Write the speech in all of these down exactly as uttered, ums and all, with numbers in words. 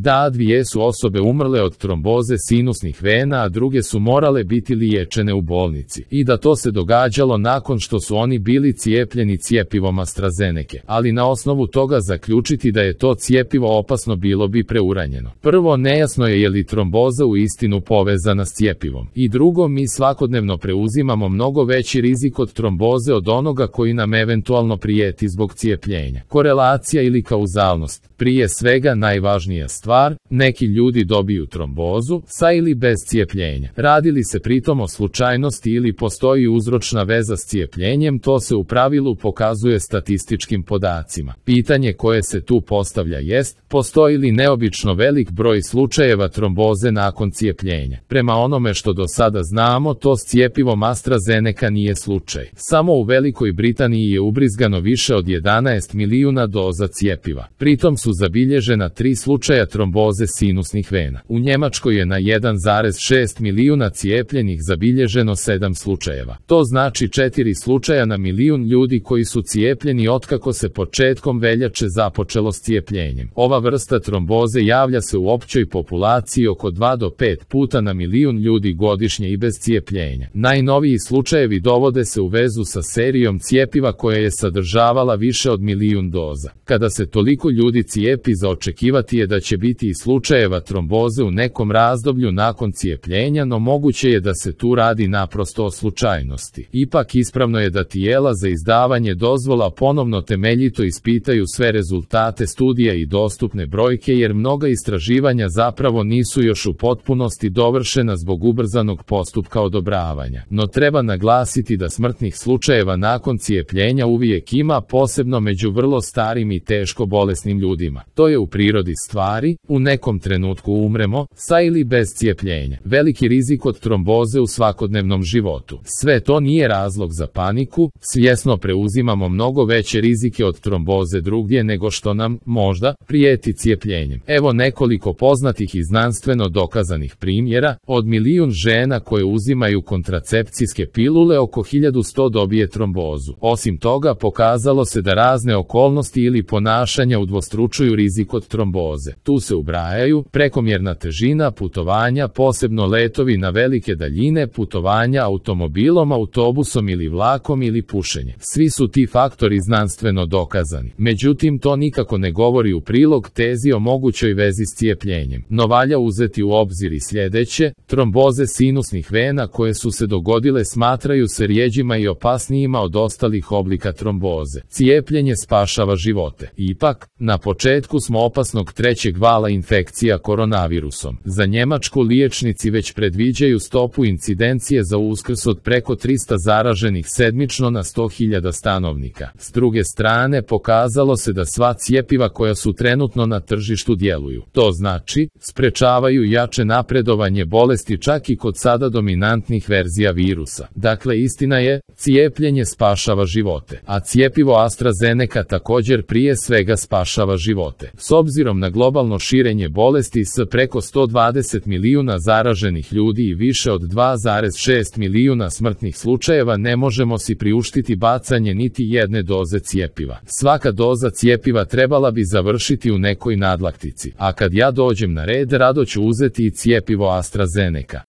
Da, dvije su osobe umrle od tromboze sinusnih vena, a druge su morale biti liječene u bolnici. I da to se događalo nakon što su oni bili cijepljeni cijepivom AstraZeneca, ali na osnovu toga zaključiti da je to cijepivo opasno bilo bi preuranjeno. Prvo, nejasno je je li tromboza u istinu povezana s cijepivom. I drugo, mi svakodnevno preuzimamo mnogo veći rizik od tromboze od onoga koji nam eventualno prijeti zbog cijepljenja. Korelacija ili kauzalnost. Prije svega najvažnija stvar, neki ljudi dobiju trombozu sa ili bez cijepljenja. Radi li se pritom o slučajnosti ili postoji uzročna veza s cijepljenjem, to se u pravilu pokazuje statističkim podacima. Pitanje koje se tu postavlja jest, postoji li neobično velik broj slučajeva tromboze nakon cijepljenja. Prema onome što do sada znamo, to s cijepivom AstraZeneca nije slučaj. Samo u Velikoj Britaniji je ubrizgano više od jedanaest milijuna doza cijepiva. Pritom su zabilježena tri slučaja tromboze sinusnih vena. U Njemačkoj je na jedan zarez šest milijuna cijepljenih zabilježeno sedam slučajeva. To znači četiri slučaja na milijun ljudi koji su cijepljeni otkako se početkom veljače započelo s cijepljenjem. Ova vrsta tromboze javlja se u općoj populaciji oko dva do pet puta na milijun ljudi godišnje i bez cijepljenja. Najnoviji slučajevi dovode se u vezu sa serijom cijepiva koja je sadržavala više od milijun doza. Kada se toliko ljudi cijepi, za očekivati je da će biti i slučajeva tromboze u nekom razdoblju nakon cijepljenja, no moguće je da se tu radi naprosto o slučajnosti. Ipak ispravno je da tijela za izdavanje dozvola ponovno temeljito ispitaju sve rezultate studija i dostupne brojke, jer mnoga istraživanja zapravo nisu još u potpunosti dovršena zbog ubrzanog postupka odobravanja. No treba naglasiti da smrtnih slučajeva nakon cijepljenja uvijek ima, posebno među vrlo starim i teško bolesnim ljudima. To je u prirodi stvari, u nekom trenutku umremo, sa ili bez cijepljenja. Veliki rizik od tromboze u svakodnevnom životu. Sve to nije razlog za paniku, svjesno preuzimamo mnogo veće rizike od tromboze drugdje nego što nam, možda, prijeti cijepljenjem. Evo nekoliko poznatih i znanstveno dokazanih primjera. Od milijun žena koje uzimaju kontracepcijske pilule, oko hiljadu sto dobije trombozu. Osim toga, pokazalo se da razne okolnosti ili ponašanja udvostručuju rizik od tromboze. Tu se ubrajaju prekomjerna težina, putovanja, posebno letovi na velike daljine, putovanja automobilom, autobusom ili vlakom ili pušenje. Svi su ti faktori znanstveno dokazani. Međutim, to nikako ne govori u prilog tezi o mogućoj vezi s cijepljenjem. No valja uzeti u obzir i sljedeće: tromboze sinusnih vena koje su se dogodile smatraju se rjeđima i opasnijima od ostalih oblika tromboze. Cijepljenje spašava živote. Ipak, na početku smo opasnog trećeg vala infekcija koronavirusom. Za Njemačku liječnici već predviđaju stopu incidencije za Uskrs od preko trista zaraženih sedmično na sto hiljada stanovnika. S druge strane, pokazalo se da sva cijepiva koja su trenutno na tržištu djeluju. To znači, sprečavaju jače napredovanje bolesti čak i kod sada dominantnih verzija virusa. Dakle, istina je, cijepljenje spašava živote, a cijepivo AstraZeneca također prije svega spašava živote. S obzirom na globalno širenje bolesti s preko sto dvadeset milijuna zaraženih ljudi i više od dva zarez šest milijuna smrtnih slučajeva, ne možemo si priuštiti bacanje niti jedne doze cijepiva. Svaka doza cijepiva trebala bi završiti u nekoj nadlaktici, a kad ja dođem na red, rado ću uzeti i cijepivo AstraZeneca.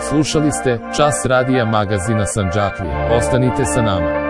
Slušali ste Čas radija magazina Sandžaklija. Ostanite sa nama.